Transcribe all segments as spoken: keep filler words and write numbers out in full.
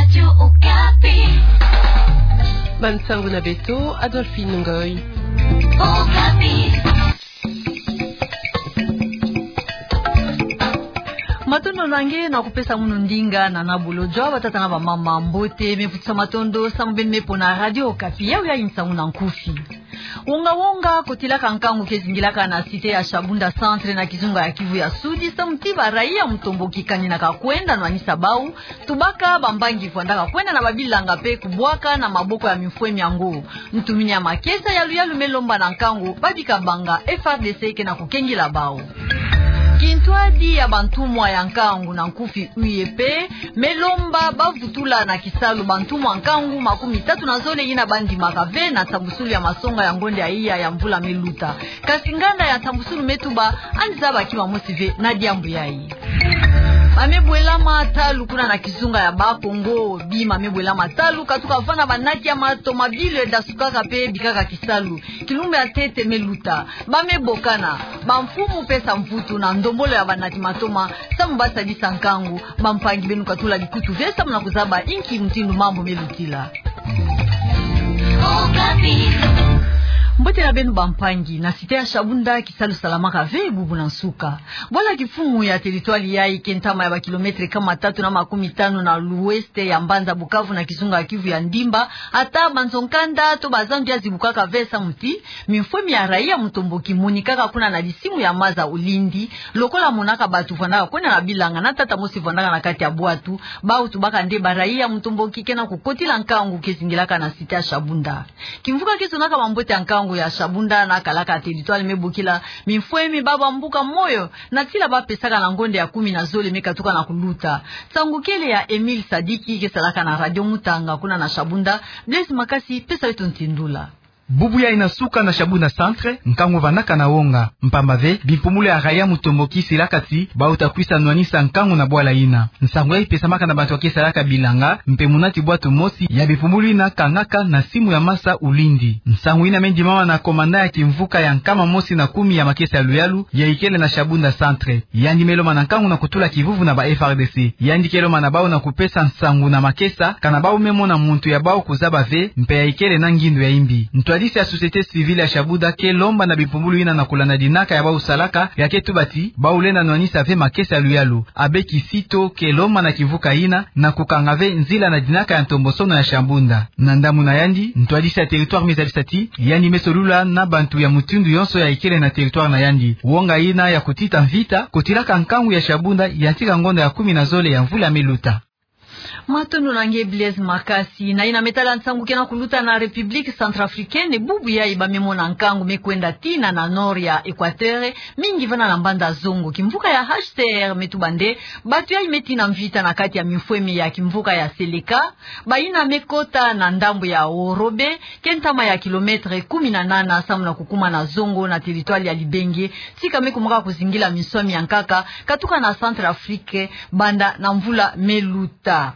Radio Okapi. Bansangu na beto, Adolphine Ngoy. Okapi. Matondo na nge na kupesa munu ndinga na na bolojo, batata na bamama, mbote, me vutisa matondo samu beno me pona Radio Okapi. Yawu yayi nsangu na nkufi. Wonga-wonga kotilaka nkangu ke zingilaka na cité ya Shabunda Centre na kizunga ya Kivu ya Sudi, samu ti baraia mutomboki kaninaka kwenda nwanisa bau, tubaka bampangi vwandaka kwenda na babilanga mpe kubwaka na maboko ya mimfwemi yango. Ntumini ya makesa ya luyalu me lomba na nkangu babika banga F R D C ke na kukengila bau. Kintwadi ya bantumwa ya nkangu na nkufi U E P me lomba bavutula na kisalu bantumwa nkangu makumi tatu na zole yina bandimaka ve na nsambusulu ya masonga ya ngonda ya iya ya mvula me luta. Kasi nganda ya nsambusulu me tuba yandi zaba kima mosi ve na diambu yayi. Ba me bwelama talu kuna na kizunga ya Bakongo, bima me bwelama talu katuka vana banati ya matomabile dasukaka mpe bikaka kisalu. Kilumbu ya ntete me luta, ba me bokana bamfumu pesa mvutu na ndombolo ya banati matoma samu basadisa nkangu. Bampangi, beno katula bikutu ve samu na kuzaba inki mutindu mambu me lutila. Mbote na beno bampangi, na cité ya Shabunda kisalu salamaka ve bubu na nsuka. Bwala kimfumu ya territoire yayi ke ntama ya bakilometre kama tatu na makumi tanu na l'ouest ya mbanza Bukavu na kizunga ya Kivu ya Ndimba, ata banzo-nkanda to bazandu ya zibukaka ve samu ti mimfwemi ya raia mutomboki monikaka kuna na disimu ya maza Ulindi, lokola monaka batu vwandaka kwenda na bilanga na tata mosi vwandaka na kati ya bwatu, bau tubaka nde baraia mutomboki ke na kukotila nkangu ke zingilaka na cité ya Shabunda. Kimvuka ke zonaka bambote ya nkangu ya Shabunda na kalaka territoire me bokila mimfwemi, ba bambuka moyo na tila ba pesaka na ngonda ya kumi na zole me katuka na kuluta. Nsangu kele ya Emile Sadiki ke salaka na Radio Mutanga kuna na Shabunda. Blaise Makasi, pesa beto ntindula. Bubu yayi na nsuka na Shabunda Centre, nkangu vandaka na wonga. Mpamba ve, bimpumbulu ya raia mutomboki silaka ti bau ta kwisa nwanisa nkangu na bwala yina. Nsangu yayi pesamaka na bantu ya ke salaka bilanga, mpe munati bwatu mosi ya bimpumbulu yina kangaka na simu ya masa Ulindi. Nsangu yina me ndimama na commandant ya kimvuka ya nkama mosi na kumi ya makesa ya luyalu, ya ikele na Shabunda Centre. Yandi me lomba na nkangu na kutula kivuvu na ba F R D C. Yandi ke lomba na bau na kupesa nsangu na makesa, kana bau me mona muntu ya bau kuzaba ve, mpe ya ikele na ngindu ya imbi. Ntwadisi ya société civile ya Shabunda ke lomba na bimpumbulu yina na kulanda dinaka ya bau salaka, ya ke tuba ti bau lenda nwanisa ve makesa ya luyalu. Abbé Kisito ke lomba na kimvuka yina na kukanga ve nzila na dinaka ya ntombosono ya Shabunda. Na ndambu na yandi, ntwadisi ya territoire me zabisa ti yandi me solula na bantu ya mutindu yonso ya ikele na territoire na yandi. Wonga yina ya kutita mvita kotilaka nkangu ya Shabunda yantika ngonda ya kumi na zole ya mvula me luta. Matondo na nge Blaise Makasi. Na yina me tala nsangu ke na kuluta na République centrafricaine, bubu yayi ba me mona nkangu me kwenda tina na nord ya Équateur, mingi vana na mbanza Zongo. Kimvuka ya H C R me tuba nde batu yayi me tina mvita na kati ya mimfwemi ya kimvuka ya Seleka, bayina me kota na ndambu ya Worobe, ke ntama ya kilometre kumi na nana samu na kukuma na Zongo na territoire ya Libenge, tika me kumaka kuzingila minswami ya nkaka katuka na Centrafrique banda na mvula me luta.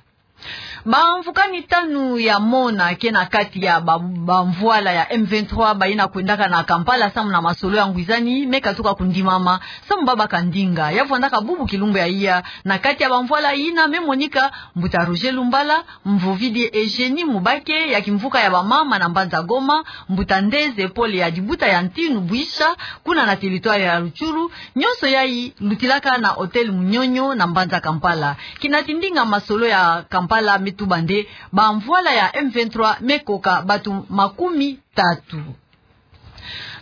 Bamvukani tanu ya mona ke na kati ya ba-, bamvwala ya M vingt-trois bayina kwendaka na Kampala samu na masolo ya ngwizani me katuka kundimama samu babaka ndinga. Ya vwandaka bubu kilumbu ya iya na kati ya bamvwala yina me monika mbuta Roger Lumbala, Mvovidi Eugénie Mubake ya kimvuka ya bamama na mbanza Goma, mbuta Ndeze Paul ya dibuta ya Ntinu Bwisha, kuna na territoire ya Rutshuru, nyonso yayi lutilaka na hôtel Munyonyo na mbanza Kampala. Kinati ndinga masolo ya Kampala me tuba nde bamvwala ya M vingt-trois me koka batu makumi tatu.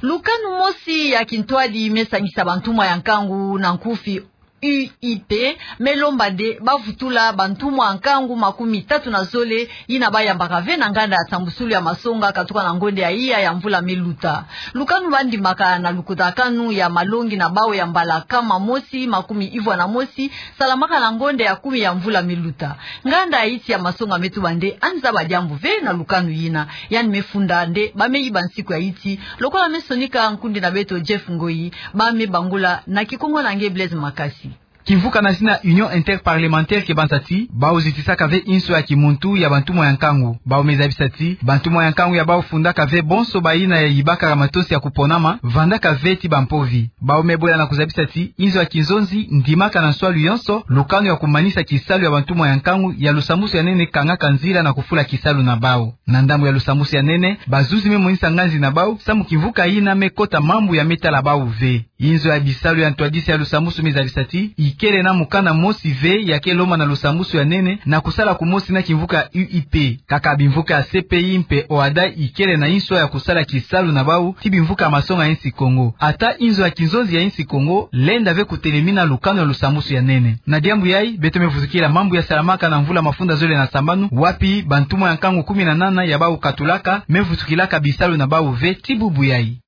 Lukanu mosi ya kintwadi me sangisa bantumwa ya nkangu na nkufi U I P me lomba nde bavutula bantumwa nkangu makumi tatu na zole yina bayambaka ve na nganda ya nsambusulu ya masonga katuka na ngonda ya iya ya mvula me luta. Lukanu bandimaka na lukutakanu ya malongi na bau ya mbala kama mosi makumi ivwa na mosi salamaka na ngonda ya kumi ya mvula me luta. Nganda ya insi ya masonga me tuba nde yandi zaba diambu ve na lukanu yina. Yandi me funda nde ba me yiba nsiku ya insi, lokola me sonika nkundi na beto Jeff Ngoyi, ba me bangula na Kikongo na nge Blaise Makasi. Kimvuka na zina Union Interparlementaire ke banza ti, bau zitisaka ve inso ya kimuntu ya bantumwa ya nkangu. Bau me zabisa ti, bantumwa ya nkangu ya bau fundaka ve bonso bayina ya yibakaka matosi ya kuponama, vandaka ve ti bampovi. Bau me bwela na kuzabisa ti, inzo ya kinzonzi ndimaka na nswalu yonso lukanu ya kumanisa kisalu ya bantumwa ya nkangu ya lusambwasu ya nene, kangaka nzila na kufula kisalu na bau. Na ndambu ya lusambwasu ya nene, bazuzi me monisa nganzi na bau, samu kimvuka yina me kota mambu ya me tala bau ve. Inzo ya bisalu ya ntwadisi ya lusambwasu me zabisa ti, ikele na mukanda mosi ve ya ke lomba na lusambwasu ya nene na kusala kumosi na kimvuka U I P. Kaka bimvuka ya C P I mpe OHADA ikele na inso ya kusala kisalu na bau ti bimvuka ya masonga ya insi Kongo. Ata inzo ya kinzonzi ya insi Kongo lenda ve kutelemina lukanu ya lusambwasu ya nene. Na diambu yayi, beto me vutukila mambu ya salamaka na mvula mafunda zole na sambanu, wapi bantumwa ya nkangu kumi na nana ya bau katulaka me vutukilaka bisalu na bau ve ti bubu yayi.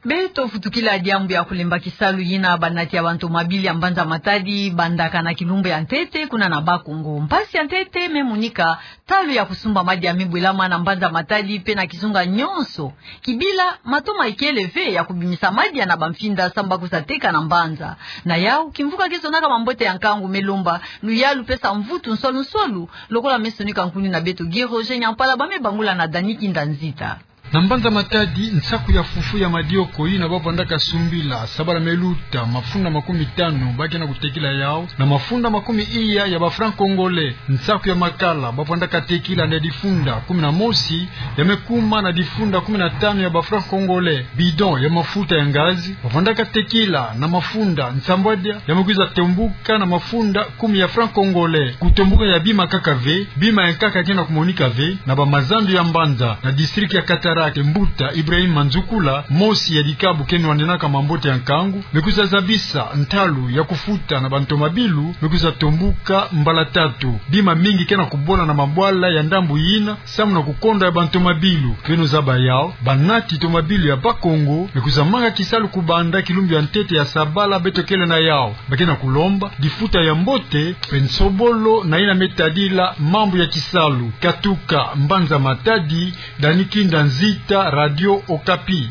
Beto vutukila diambu ya kulemba kisalu yina banati ya bantomabili ya mbanza Matadi bandaka na kilumbu ya ntete kuna na Bas-Congo. Mpasi ya ntete me monika, talu ya kusumba madia me bwelama na mbanza Matadi mpe na kizunga nyonso. Kibila, mato ma ikele ve ya kubimisa madia na bamfinda samu ba kwiza teka na mbanza. Na yau, kimvuka ke zonaka mambote ya nkangu me lomba luyalu mpe samvutu nswalu nswalu, lokola me sonika nkuni na beto Guy Roger Nyampala, ba me bangula na Dany Kinda Nzita. Na mbanza Matadi, nsaku ya fufu ya madioko yina ba vandaka sumbila sabala me luta mafunda makumi tanu, ba ke na kutekila yau na mafunda makumi iya ya ba francs congolais. Nsaku ya makala ba vandaka tekila na difunda kumi na mosi, ya me kuma na difunda kumi na tanu ya ba francs congolais. Bidon ya mafuta ya ngazi ba vandaka tekila na mafunda nsambwadia, ya me kwiza tombuka na mafunda kumi ya francs congolais. Kutombuka ya bima kaka ve, bima ya nkaka ke na kumonika ve na bamazandu ya mbanza. Na district ya Cataractes, mbuta Ibrahim Manzukula, mosi ya dikabu ke nwanenaka mambote ya nkangu, me kwiza zabisa ntalu ya kufuta na bantomabilu me kwiza tombuka mbala tatu. Bima mingi ke na kubola na mabwala ya ndambu yina samu na kukonda ya bantomabilu. Beno zaba yau, banati tomabilu ya Bas-Congo me kwiza manga kisalu kubanda kilumbu ya ntete ya sabala beto kele na yau. Ba ke na kulomba difuta ya mbote mpe nsobolo na yina me tadila mambu ya kisalu. Katuka mbanza Matadi, Dany Kinda Nzita, Radio Okapi.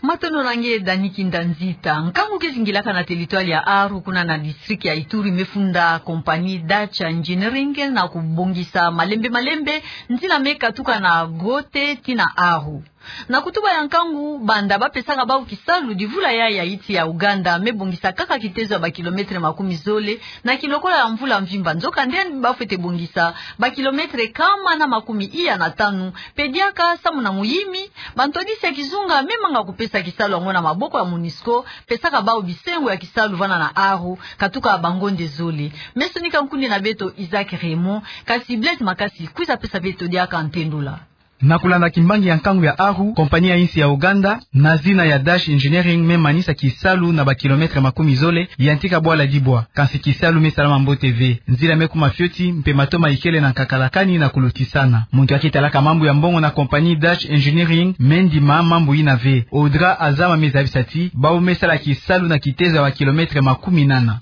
Matondo na nge, Dany Kinda Nzita. Nkangu ke zingilaka na territoire ya Aru, kuna na district ya Ituri, me funda compagnie Dutch Engineering na kubongisa malembe malembe nzila me katuka na Gote tii na Aru. Na kutuba ya nkangu, banda ba pesaka bau kisalu, divula ya, ya insi ya Ouganda me bongisa kaka kitezo ya ba kilomètre makumi zole na kilokola ya mvula mvimba. Nzokande, ba fwete bongisa ba kilomètre kama na makumi iya na tanu. Mpe diaka samu na muyimi, bantwadisi ya kizunga me manga kupesa kisalu yango na maboko ya MONUSCO, pesaka bau bisengo ya kisalu vana na Aru, katuka bangonde zole. Me sonika nkuni na beto Isaac Raymond, kasi Blaise Makasi kwiza pesa beto diaka ntendula. Na kulanda kimbangi ya nkangu ya Aru, compagnie ya insi ya Ouganda, na zina ya Dutch Engineering, me manisa kisalu na ba kilomètre makumi zole, yantika bwala Dibwa. Kansi kisalu me salama mbote ve. Nzila me kuma fioti, mpe mato ma ikele na nkakalakani na kulutisana. Muntu ya ke talaka mambu ya mbongo na compagnie Dutch Engineering me ndima mambu yina ve. Audra Azama me zabisa ti, bau me sala kisalu na kitezo ya ba kilomètre makumi nana.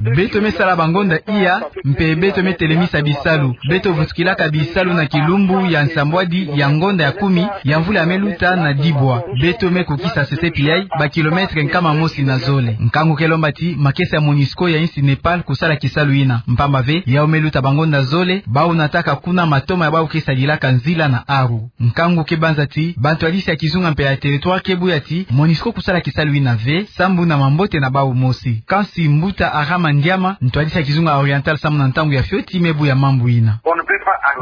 Beto me sala bangonda iya, mpe beto me telemisa bisalu. Beto vutukilaka bisalu na kilumbu ya nsambwadi ya ngonda ya kumi ya mvula ya me luta na Dibwa. Beto me kukisa sese piai ba kilomètre nkama mosi na zole. Nkangu ke lomba ti makesa ya MONUSCO ya insi Népal kusala kisalu yina. Mpamba ve, yau me luta bangonda zole, bau nataka kuna matoma ya bau ke sadilaka nzila na Aru. Nkangu ke banza ti, bantwadisi ya kizunga mpe ya territoire ke buya ti, MONUSCO kusala kisalu yina ve, sambu na mambote na bau mosi. Kansi mbuta Arama Ndiama, ntwadisi ya kizunga oriental samu na ntangu ya fioti, me buya mambu yina.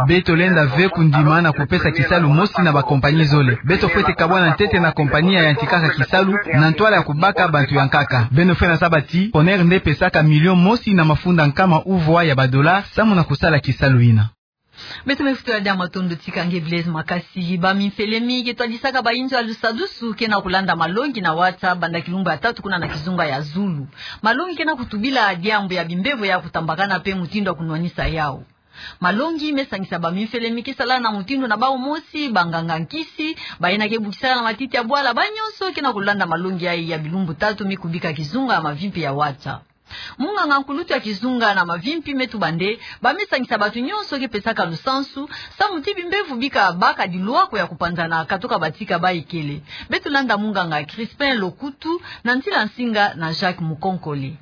Beto lenda ve kundima na kupesa kisalu mosi na ba compagnie zole. Beto fwete kabwana ntete na compagnie ya yantikaka kisalu, na ntwala ya kubaka bantu ya nkaka. Beno fwete zaba ti, Coner nde pesaka million mosi na mafunda nkama uvwa ya ba dollars, samu na kusala kisalu yina. Beto me futu ya dia matondo tika nge Blaise Makasi. Ba mimfele mi ke twadisaka ba inzo ya lusadusu ke na kulanda malongi na WhatsApp banda kilumbu ya tatu kuna na kizunga ya zulu. Malongi ke na kutubila diambu ya bimbevo ya kutambakana mpe mutindu ya kunwanisa yau. Malongi me sangisa ba mimfele mi ke sala na mutindu na bau mosi, banganga nkisi, bayina ke bukisaka na matiti ya bwala, ba nyonso ke na kulanda malongi yayi ya bilumbu tatu mi kubika kizunga ya mavimpi ya WhatsApp. Munganga nkulutu ya kizunga na mavimpi me tuba'nde, bamesangisa bato nyonso ke pesaka lusansu, samu ti bimbevo bika baka dilwako ya kupanzana katoka batika bayekele. Beto landa munganga Crispin Lokutu na ntila nsinga na Jacques Mukonkole.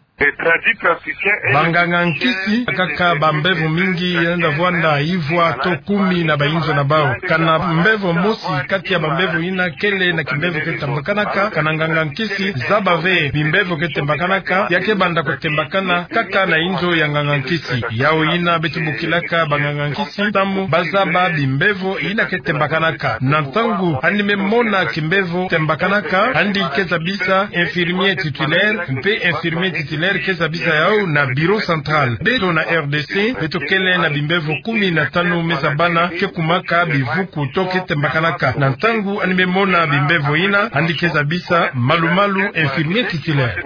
Banganga nkisi kaka bambevo mingi yenda vwanda ivwa to kumi na bainzo na bau. Kana mbevo mosi kati ya bambevo yina kele na kimbevo ke tambakanaka, kana nganga nkisi zaba ve bimbevo ke tambakanaka, ya ke banda kutambakana kaka na inzo ya nganga nkisi. Yau yina beto bokilaka banganga nkisi, samu bazaba bimbevo yina ke tambakanaka. Na ntangu ani me mona kimbevo tambakanaka, ani ke zabisa infirmier titulaire, mpe infirmier titulaire ke zabisa yau na bureau central. Beto na R D C, beto kele na bimbevo kumi na tanu me zabana ke kumaka bivuku to ke tambakanaka. Na ntangu ani me mona bimbevo yina, ani ke zabisa malu-malu infirmier titulaire.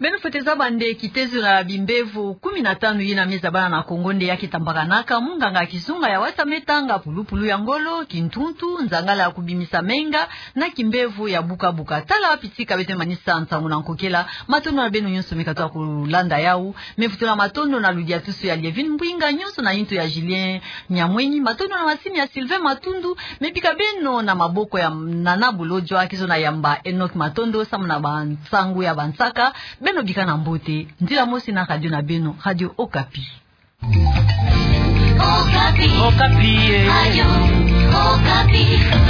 Beno fwete zaba nde kitezo na bimbevo kumi na tanu yina me zabana na Kongo nde ya ke tambakanaka. Munganga kizunga ya wata me tanga pulupulu ya ngolo, kintuntu, nzangala ya kubimisa menga, na kimbevo ya buka-buka. Tala wapi tika beto me manisa nsangu na nkokela. Matondo na beno nyonso me katuka kulanda yau. Me vutula matondo na ludiatusu ya Lievine Mbwinga, nyonso na yinto ya Julien Nyamwenyi. Matondo na masini ya Sylvain Matundu. Me bika beno na maboko ya Nana Bolodjwa, kizo na yamba Enoch Matondo samu na bansangu ya bansaka. Beno bika na mbote. Ntila mosi na radio na beno, Radio Okapi. Okapi. Okapi, eh. Radio Okapi.